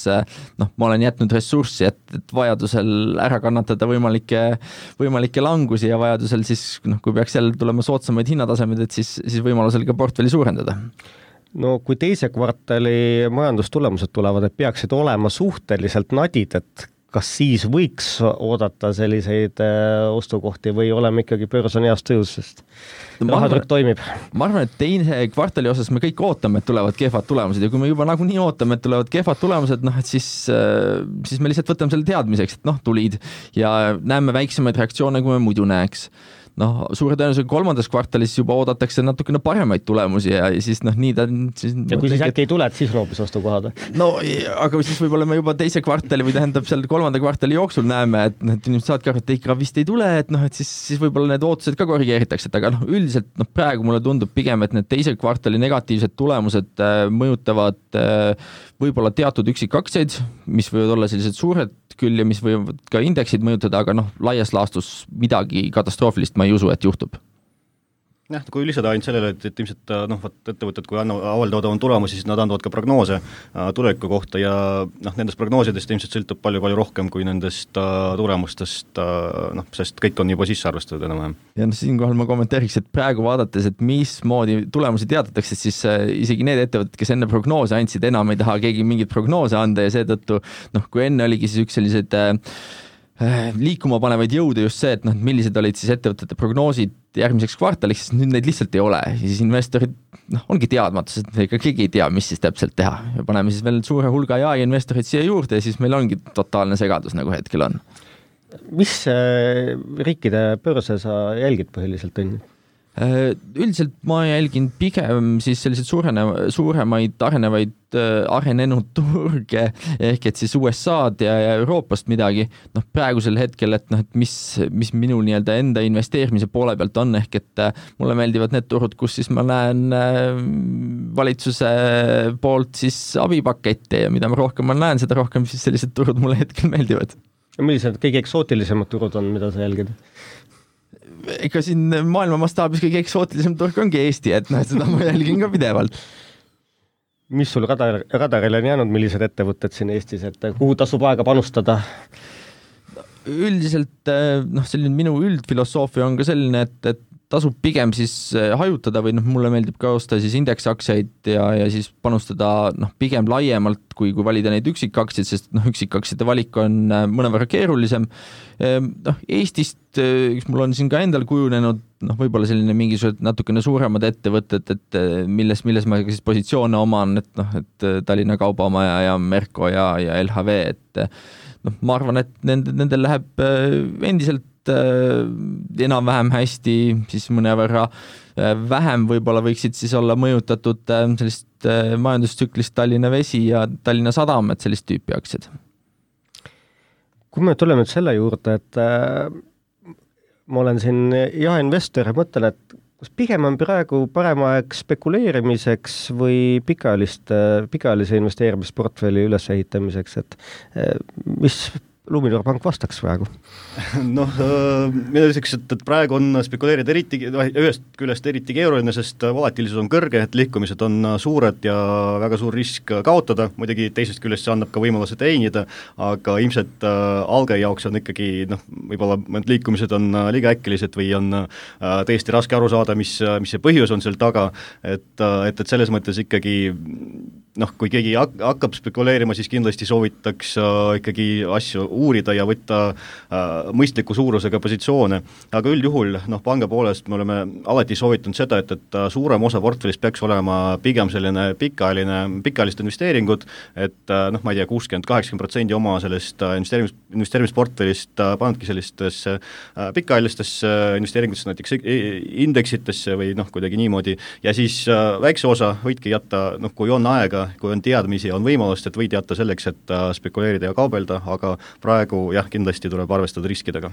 ma olen jätnud ressurssi, et vajadusel ära kannatada võimalikke langusi ja vajadusel siis, kui peaks jälle tulema soodsamaid hinnatasemed, et siis võimalusel ka portfelli suurendada. No kui teise kvartali majandustulemused tulevad, et peaksid olema suhteliselt nadid, et kas siis võiks oodata selliseid ostukohti või oleme ikkagi börs on heas tõus, sest rahatrükk toimib? Ma arvan, et teine kvartali osas me kõik ootame, et tulevad kehvad tulemused ja kui me juba nagunii ootame, et tulevad kehvad tulemused, et siis me lihtsalt võtame selle teadmiseks, et tulid ja näeme väiksemaid reaktsioone, kui me muidu näeks. Suure tõenäosusega kolmandas kvartalis juba oodatakse natukene paremaid tulemusi ja siis nii ta... Ja kui siis äkki ei tule, et siis hoopis ostukohad? Aga siis võib-olla me juba teise kvartali või tähendab seal kolmanda kvartali jooksul näeme, et inimesed saadki aru, et ikka vist ei tule, et siis võib-olla need ootused ka korrigeeritakse, et aga üldiselt praegu mulle tundub pigem, et need teise kvartali negatiivsed tulemused mõjutavad võib-olla teatud üksikaktsiaid, mis võivad olla sellised suured küll ja mis võivad ka indeksid mõjutada, aga laias laastus midagi katastroofilist ma ei usu, et juhtub. Jah, kui lisada ainult sellele, et ilmselt ettevõtted, kui avaldavad oma tulemusi, siis nad andavad ka prognoose tuleviku kohta ja nendest prognoosidest ilmselt sõltub palju rohkem kui nendest tulemustest, sest kõik on juba sisse arvestatud enam-vähem. Ja siinkohal ma kommenteeriks, et praegu vaadates, et mismoodi tulemusi teatatakse, siis isegi need ettevõtted, kes enne prognoose andsid, enam ei taha keegi mingit prognoose anda ja seetõttu, kui enne oligi siis üks sellised liikuma panevaid jõude just see, et millised olid siis ettevõtete prognoosid järgmiseks kvartaliks, siis nüüd neid lihtsalt ei ole. Ja siis investorid ongi teadmatus, et ega keegi ei tea, mis siis täpselt teha. Ja paneme siis veel suure hulga investorid siia juurde ja siis meil ongi totaalne segadus, nagu hetkel on. Mis riikide börse sa jälgid põhiliselt on? Üldiselt ma jälgin pigem siis selliseid suuremaid arenenud turge ehk et siis USA-d ja Euroopast midagi. Praegusel hetkel, et mis minu nii-öelda enda investeerimise poole pealt on ehk et mulle meeldivad need turud, kus siis ma näen valitsuse poolt siis abipakette ja mida rohkem ma näen, seda rohkem siis sellised turud mulle hetkel meeldivad. Ja millised kõige eksootilisemad turud on, mida sa jälgid? Ega siin maailma mastaabis kõige eksootilisem turg ongi Eesti, et seda ma jälgin ka pidevalt. Mis sul radarile on jäänud, millised ettevõtted siin Eestis, et kuhu tasub aega panustada? Üldiselt selline minu üldfilosoofia on ka selline, et tasub pigem siis hajutada või mulle meeldib ka osta siis indeksaktsiaid ja siis panustada pigem laiemalt, kui valida neid üksikaktsiaid, sest üksikaktsiate valik on mõnevõrra keerulisem. Eestist, mul on siin ka endal kujunenud võib-olla selline mingisugused natukene suuremad ettevõtted, et milles ma siis positsioone oman, et Tallinna Kaubamaja ja Merko ja LHV, et ma arvan, et nendel läheb endiselt enam-vähem hästi, siis mõnevõrra vähem võib-olla võiksid siis olla mõjutatud sellist majandustsüklist Tallinna Vesi ja Tallinna Sadam, et sellist tüüpi aktsiad. Kui me tuleme nüüd selle juurde, et ma olen siin investor ja mõtlen, et kas pigem on praegu parem aeg spekuleerimiseks või pikaajalise investeerimisportfelli ülesehitamiseks, et mis Luminor Pank vastaks praegu? Mina ütleks, et praegu on spekuleerida ühest küljest eriti keeruline, sest volatiilsus on kõrge, et liikumised on suured ja väga suur risk kaotada, muidugi teisest küljest see annab ka võimaluse teenida, aga ilmselt alge jaoks on ikkagi, võib-olla mõned liikumised on liiga äkilised või on tõesti raske aru saada, mis see põhjus on seal taga, et selles mõttes ikkagi kui keegi hakkab spekuleerima, siis kindlasti soovitaks ikkagi asju uurida ja võtta mõistliku suurusega positsioone. Aga üldjuhul panga poolest me oleme alati soovitanud seda, et suurem osa portfellist peaks olema pigem selline pikaajalist investeeringud, et ma ei tea, 60-80% oma sellest investeerimisportfellist panedki sellistesse pikaajalistesse investeeringutesse, näiteks indeksitesse või kuidagi niimoodi, ja siis väikse osa võidki jätta, kui on aega, kui on teadmisi, on võimalust, et võid jätta selleks, et spekuleerida ja kaubelda, aga praegu kindlasti tuleb arvestada riskidega.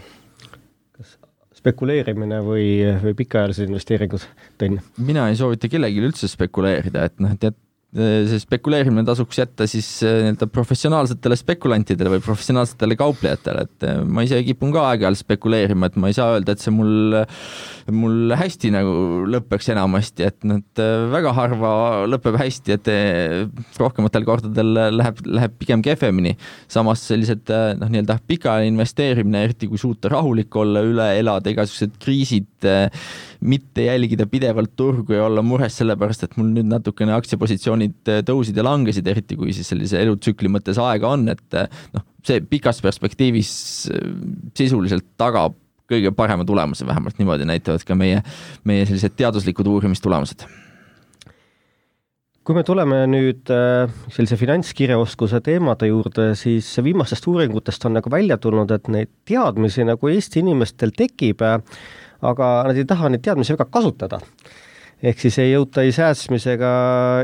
Kas spekuleerimine või pikaajalised investeeringud, Tõnn? Mina ei soovita kellelegi üldse spekuleerida, et see spekuleerimine tasuks jätta siis nii-öelda professionaalsetele spekulantidele või professionaalsetele kauplejatele, et ma ise kipun ka aeg-ajalt spekuleerima, et ma ei saa öelda, et see mul hästi nagu lõpeks enamasti, et nad väga harva lõpeb hästi, et rohkematel kordadel läheb pigem kehvemini. Samas sellised nii-öelda pikaajaline investeerimine, eriti kui suuta rahulik olla, üle elada igasugused kriisid, mitte jälgida pidevalt turgu ja olla mures sellepärast, et mul nüüd natukene aktsiapositsioonid tõusid ja langesid, eriti kui siis sellise elutsükli mõttes aega on, et see pikas perspektiivis sisuliselt tagab kõige parema tulemuse, vähemalt niimoodi näitavad ka meie sellised teaduslikud uurimistulemused. Kui me tuleme nüüd sellise finantskirjaoskuse teemade juurde, siis viimastest uuringutest on nagu välja tulnud, et neid teadmisi nagu Eesti inimestel tekib, aga nad ei taha neid teadmisi väga kasutada. Ehk siis ei jõuta ei säästmisega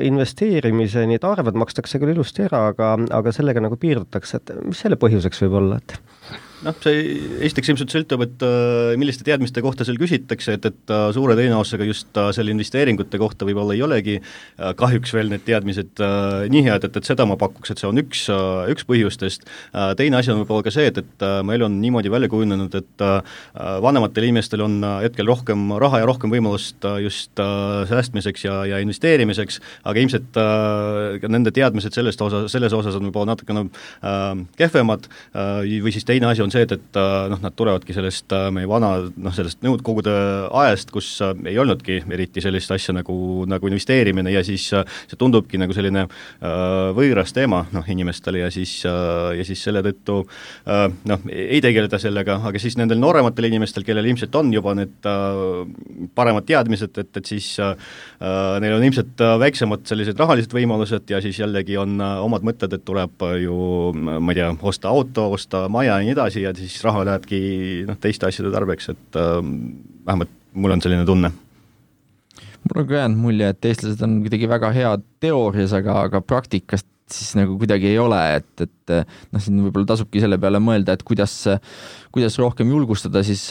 investeerimiseni, et arved makstakse küll ilusti ära, aga sellega nagu piirdutakse, et mis selle põhjuseks võib olla, et see esiteks ilmselt sõltub, et milliste teadmiste kohta seal küsitakse, et suure tõenäosusega just selle investeeringute kohta võib-olla ei olegi kahjuks veel need teadmised nii head, et seda ma pakuks, et see on üks põhjustest. Teine asi on võib-olla ka see, et meil on niimoodi välja kujunenud, et vanematel inimestel on hetkel rohkem raha ja rohkem võimalust just säästmiseks ja investeerimiseks, aga ilmselt nende teadmised selles osas on võib-olla natukene kehvemad või siis teine asi on see, et nad tulevadki sellest meie sellest nõudkogude ajast, kus ei olnudki eriti sellist asja nagu investeerimine ja siis see tundubki nagu selline võõras teema inimestele ja siis selle tõttu ei tegeleda sellega, aga siis nendel noorematel inimestel, kellel ilmselt on juba need paremad teadmised, et siis neil on ilmselt väiksemad sellised rahalised võimalused ja siis jällegi on omad mõtted, et tuleb ju, ma ei tea, osta auto, osta maja ja nii edasi, ja siis raha lähebki teiste asjade tarbeks, et vähemalt mul on selline tunne. Mul on ka jäänud mulje, et eestlased on kuidagi väga head teoorias, aga praktikast siis nagu kuidagi ei ole, et siin võib-olla tasubki selle peale mõelda, et kuidas rohkem julgustada siis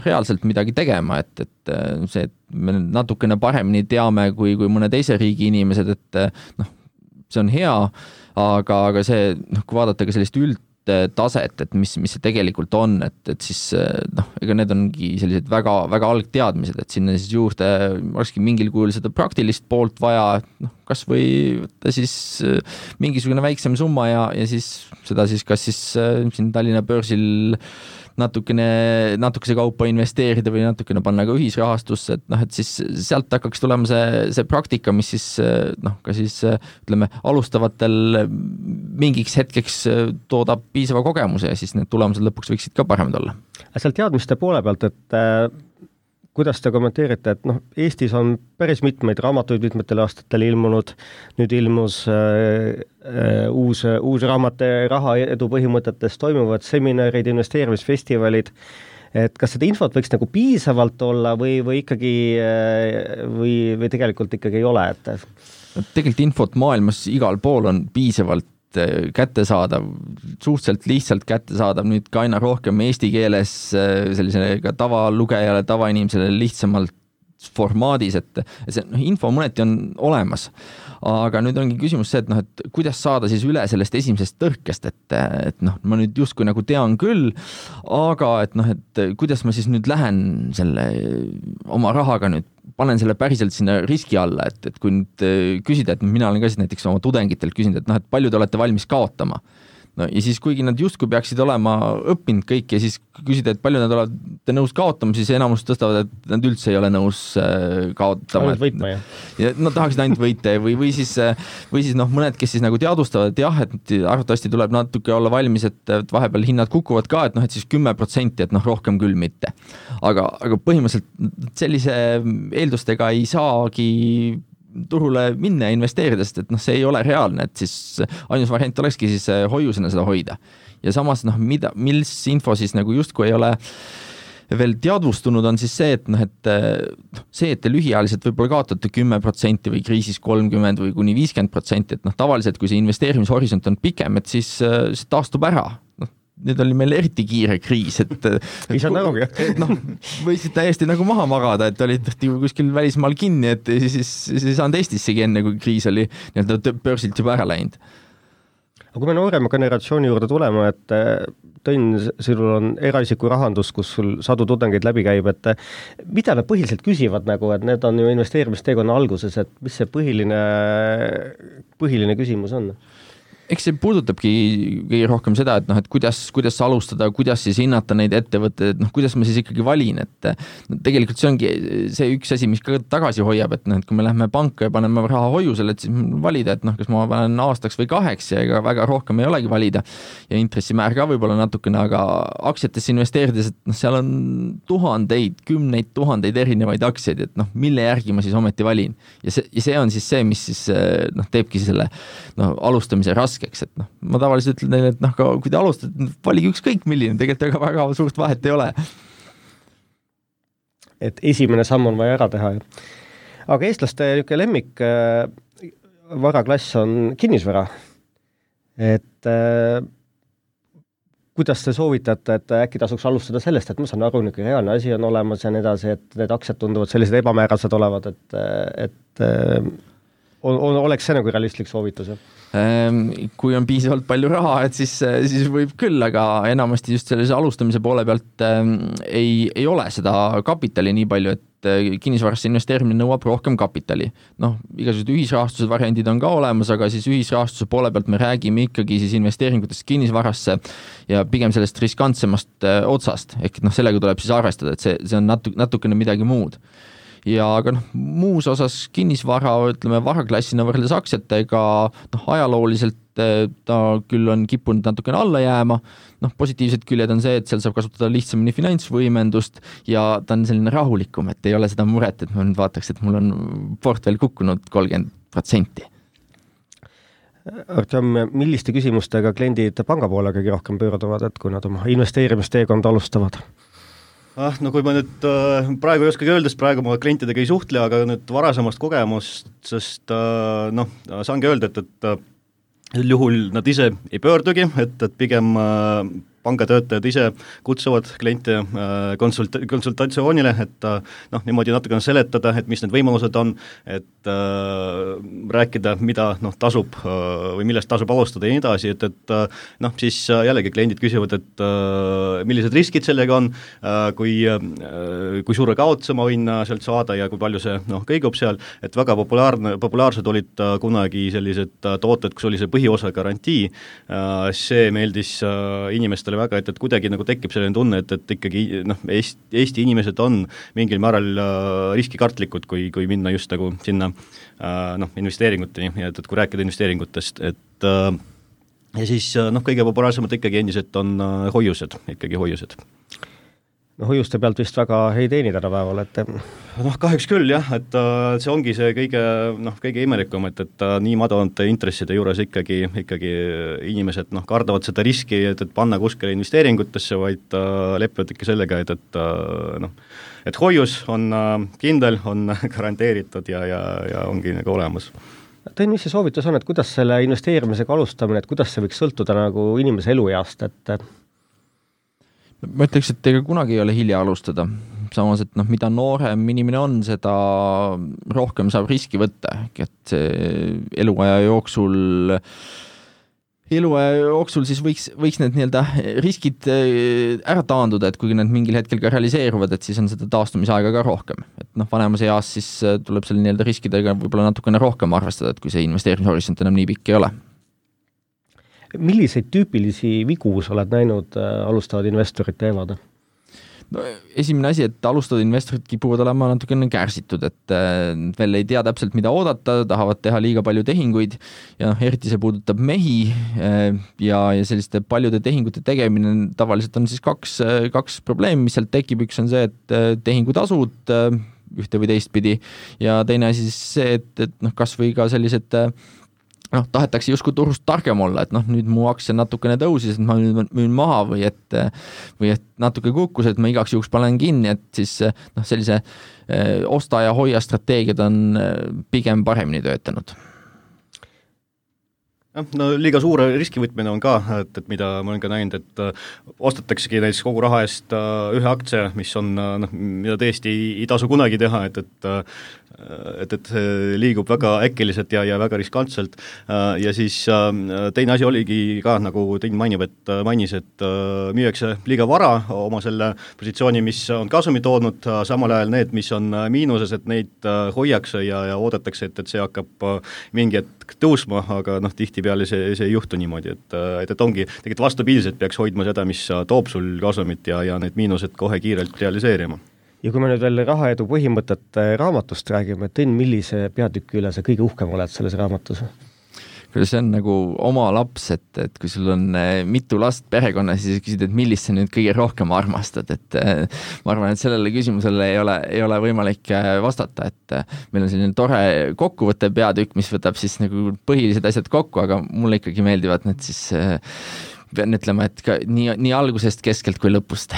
reaalselt midagi tegema, et see, et me natukene paremini teame kui mõne teise riigi inimesed, et see on hea, aga see, kui vaadata ka sellist taset, et mis see tegelikult on, et siis ega need ongi sellised väga, väga algteadmised, et sinna siis juurde olekski mingil kujul seda praktilist poolt vaja, kas või võtta siis mingisugune väiksem summa ja siis seda siis kas siis siin Tallinna börsil natukese kaupa investeerida või natukene panna ka ühisrahastusse, et siis sealt hakkaks tulema see praktika, mis siis ka siis ütleme alustavatel mingiks hetkeks toodab piisava kogemuse ja siis need tulemused lõpuks võiksid ka paremad olla. Seal teadmiste poole pealt, et kuidas te kommenteerite, et Eestis on päris mitmeid raamatuid mitmetel aastatel ilmunud, nüüd ilmus uus raamat rahaedu põhimõtetes, toimuvad seminarid, investeerimisfestivalid, et kas seda infot võiks nagu piisavalt olla või ikkagi või tegelikult ikkagi ei ole, et tegelikult infot maailmas igal pool on piisavalt kättesaadav, suhteliselt lihtsalt kättesaadav, nüüd ka aina rohkem eesti keeles sellisele ka tavalugejale, tavainimesele lihtsamalt formaadis, et see info mõneti on olemas. Aga nüüd ongi küsimus see, et kuidas saada siis üle sellest esimesest tõrkest, et ma nüüd justkui nagu tean küll, aga et kuidas ma siis nüüd lähen selle oma rahaga nüüd, panen selle päriselt sinna riski alla, et kui nüüd küsida, et mina olen ka siis näiteks oma tudengitelt küsinud, et palju te olete valmis kaotama. Ja siis kuigi nad justkui peaksid olema õppinud kõik ja siis küsida, et palju nad olete nõus kaotama, siis enamus tõstavad, et nad üldse ei ole nõus kaotama. Ainult võitma, jah. Ja tahaksid ainult võita või siis mõned, kes siis nagu teadvustavad, et jah, et arvatavasti tuleb natuke olla valmis, et vahepeal hinnad kukuvad ka, et siis 10%, et rohkem küll mitte. Aga põhimõtteliselt sellise eeldustega ei saagi turule minna ja investeerida, sest et see ei ole reaalne, et siis ainus variant olekski siis hoiusena seda hoida. Ja samas, mis info siis nagu justkui ei ole veel teadvustunud, on siis see, et te lühiajaliselt võib-olla kaotate 10% või kriisis 30% või kuni 50%, et tavaliselt, kui see investeerimishorisont on pikem, et siis see taastub ära. nüüd oli meil eriti kiire kriis, et ei saa närugi. Võisid täiesti nagu maha magada, et olid kuskil välismaal kinni, et siis ei saanud Eestissegi enne, kui kriis oli börsilt juba ära läinud. Aga kui me noorema generatsiooni juurde tulema, et Tõnn, sinul on eraisiku rahandus, kus sul sadu tudengeid läbi käib, et mida nad põhiliselt küsivad nagu, et need on ju investeerimisteekonna alguses, et mis see põhiline küsimus on? Eks see puudutabki kõige rohkem seda, et et kuidas alustada, kuidas siis hinnata neid ettevõtteid, kuidas ma siis ikkagi valin, et tegelikult see ongi see üks asi, mis ka tagasi hoiab, et kui me lähme panka ja paneme raha hoiusele, et siis valida, et kas ma panen aastaks või 2 ja ega väga rohkem ei olegi valida ja intressimäär ka võib-olla natukene, aga aktsiatesse investeerides, et seal on kümneid tuhandeid erinevaid aktsiaid, et mille järgi ma siis ometi valin ja see on siis see, mis siis teebki selle alustamise raskeks, et ma tavaliselt ütlen neile, et kui te alustate, valige ükskõik milline, tegelikult väga suurt vahet ei ole. Et esimene samm on vaja ära teha. Aga eestlaste lemmik varaklass on kinnisvara. Et kuidas te soovitate, et äkki tasuks alustada sellest, et ma saan aru, reaalne asi on olemas ja nii edasi, et need aktsiad tunduvad sellised ebamäärased olevad, et oleks see nagu realistlik soovitus? Kui on piisavalt palju raha, et siis võib küll, aga enamasti just sellise alustamise poole pealt ei ole seda kapitali nii palju, et kinnisvarasse investeerimine nõuab rohkem kapitali. Igasugused ühisrahastuse variandid on ka olemas, aga siis ühisrahastuse poole pealt me räägime ikkagi siis investeeringutest kinnisvarasse ja pigem sellest riskantsemast otsast, ehk sellega tuleb siis arvestada, et see on natukene midagi muud. Ja aga muus osas kinnisvara, ütleme varaklassina võrreldes aktsiatega, ajalooliselt ta küll on kippunud natukene alla jääma, positiivsed küljed on see, et seal saab kasutada lihtsamini finantsvõimendust ja ta on selline rahulikum, et ei ole seda muret, et ma nüüd vaataks, et mul on portfell kukkunud 30%. Artem, milliste küsimustega kliendid panga poole kõige rohkem pöörduvad, et kui nad oma investeerimisteekonda alustavad? Kui ma nüüd praegu ei oskagi öelda, sest praegu ma klientidega ei suhtle, aga nüüd varasemast kogemust, sest saangi öelda, et juhul nad ise ei pöördugi, et pigem pangatöötajad ise kutsuvad kliente konsultatsioonile, et niimoodi natukene seletada, et mis need võimalused on, et rääkida, mida tasub või millest tasub alustada ja nii edasi, et siis jällegi kliendid küsivad, et millised riskid sellega on, kui suure kaotuse ma võin sealt saada ja kui palju see kõigub seal, et väga populaarsed olid kunagi sellised tooted, kus oli see põhiosa garantii, see meeldis inimestele väga, et kuidagi nagu tekib selline tunne, et ikkagi Eesti inimesed on mingil määral riskikartlikud, kui minna just nagu sinna investeeringuteni, et kui rääkida investeeringutest, et ja siis kõige populaarsemad ikkagi endiselt on hoiused. Hoiuste pealt vist väga ei teeni tänapäeval, et kahjuks küll jah, et see ongi see kõige imelikum, et nii madalate intresside juures ikkagi inimesed kardavad seda riski, et panna kuskile investeeringutesse, vaid lepivad ikka sellega, et hoius on kindel, on garanteeritud ja ongi nagu olemas. Tõin, mis see soovitus on, et kuidas selle investeerimisega alustamine, et kuidas see võiks sõltuda nagu inimese elueast, et ma ütleks, et ega kunagi ei ole hilja alustada. Samas, et mida noorem inimene on, seda rohkem saab riski võtta. Et eluaja jooksul siis võiks need riskid ära taanduda, et kuigi need mingil hetkel ka realiseeruvad, et siis on seda taastumisaega ka rohkem. Et vanemas eas siis tuleb selle riskidega võib-olla natukene rohkem arvestada, et kui see investeerimishorisont enam nii pikk ei ole. Milliseid tüüpilisi vigu sa oled näinud alustavad investorid teevad? Esimene asi, et alustavad investorid kipuvad olema natukene kärsitud, et veel ei tea täpselt, mida oodata, tahavad teha liiga palju tehinguid ja eriti see puudutab mehi ja selliste paljude tehingute tegemine tavaliselt on siis kaks probleemi, mis sealt tekib. Üks on see, et tehingutasud ühte või teistpidi ja teine asi siis see, et kas või ka sellised tahetakse justkui turust targem olla, et nüüd mu aktsia natukene tõusis, et ma müün maha või et natuke kukkus, et ma igaks juhuks panen kinni, et siis sellise osta ja hoia strateegiad on pigem paremini töötanud. No liiga suure riskivõtmine on ka, et mida ma olen ka näinud, et ostataksegi näiteks kogu raha eest ühe aktsia, mis on, mida tõesti ei tasu kunagi teha, et see liigub väga äkiliselt ja väga riskantselt ja siis teine asi oligi ka, nagu Tõin mainis, et müüakse liiga vara oma selle positsiooni, mis on kasumi toodnud, samal ajal need, mis on miinuses, et neid hoiakse ja oodatakse, et see hakkab mingi hetk tõusma, aga tihtipeale see ei juhtu niimoodi, et ongi, tegelikult vastupidiselt peaks hoidma seda, mis toob sul kasumit ja need miinused kohe kiirelt realiseerima. Ja kui me nüüd veel rahaedu põhimõtet raamatust räägime, Tõn, millise peatüki üle sa kõige uhkem oled selles raamatus? See on nagu oma laps, et kui sul on mitu last perekonnas, siis küsid, et millist sa nüüd kõige rohkem armastad, et ma arvan, et sellele küsimusele ei ole võimalik vastata, et meil on selline tore kokkuvõtte peatükk, mis võtab siis nagu põhilised asjad kokku, aga mulle ikkagi meeldivad need siis pean ütlema, et ka nii algusest, keskelt kui lõpust.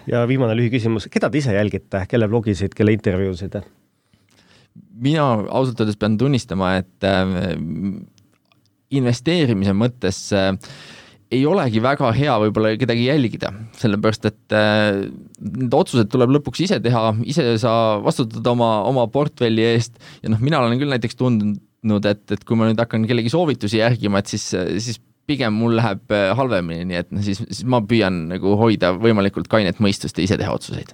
Ja viimane lühiküsimus, keda te ise jälgite, kelle blogisid, kelle intervjuusid? Mina ausalt öeldes pean tunnistama, et investeerimise mõttes ei olegi väga hea võib-olla kedagi jälgida, sellepärast et need otsused tuleb lõpuks ise teha, ise sa vastutad oma portfelli eest ja mina olen küll näiteks tundnud, et kui ma nüüd hakkan kellegi soovitusi järgima, et siis pigem mul läheb halvemini, nii et siis ma püüan nagu hoida võimalikult kainet mõistust ja ise teha otsuseid.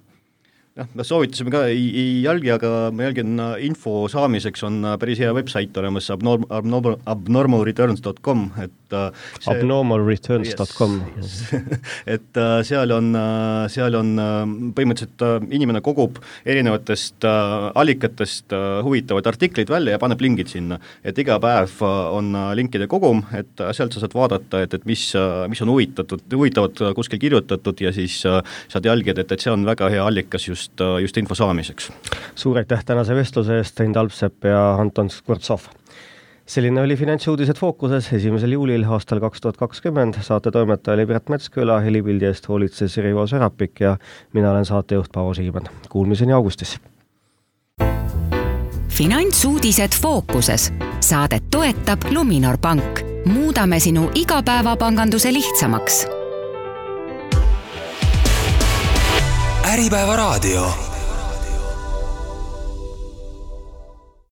Me soovitasime ka ei jälgi, aga ma jälgin info saamiseks on päris hea website olemas abnormalreturns.com, et abnormalreturns.com et seal on põhimõtteliselt inimene kogub erinevatest allikatest huvitavaid artikleid välja ja paneb lingid sinna, et iga päev on linkide kogum, et sealt sa saad vaadata, et mis on huvitavad kuskil kirjutatud ja siis saad jälgida, et see on väga hea allikas just info saamiseks. Suur aitäh tänase vestluse eest, Tõin Talpsepp ja Anton Skvortsov. Selline oli Finantsuudised fookuses 1. juulil aastal 2020. Saate toimetaja oli Piret Metsküla, helipildi eest hoolitses Rivo Serapik ja mina olen saatejuht Paavo Siimann. Kuulmiseni augustis. Finantsuudised fookuses. Saadet toetab Luminor Pank. Muudame sinu igapäevapanganduse lihtsamaks. Äripäeva raadio.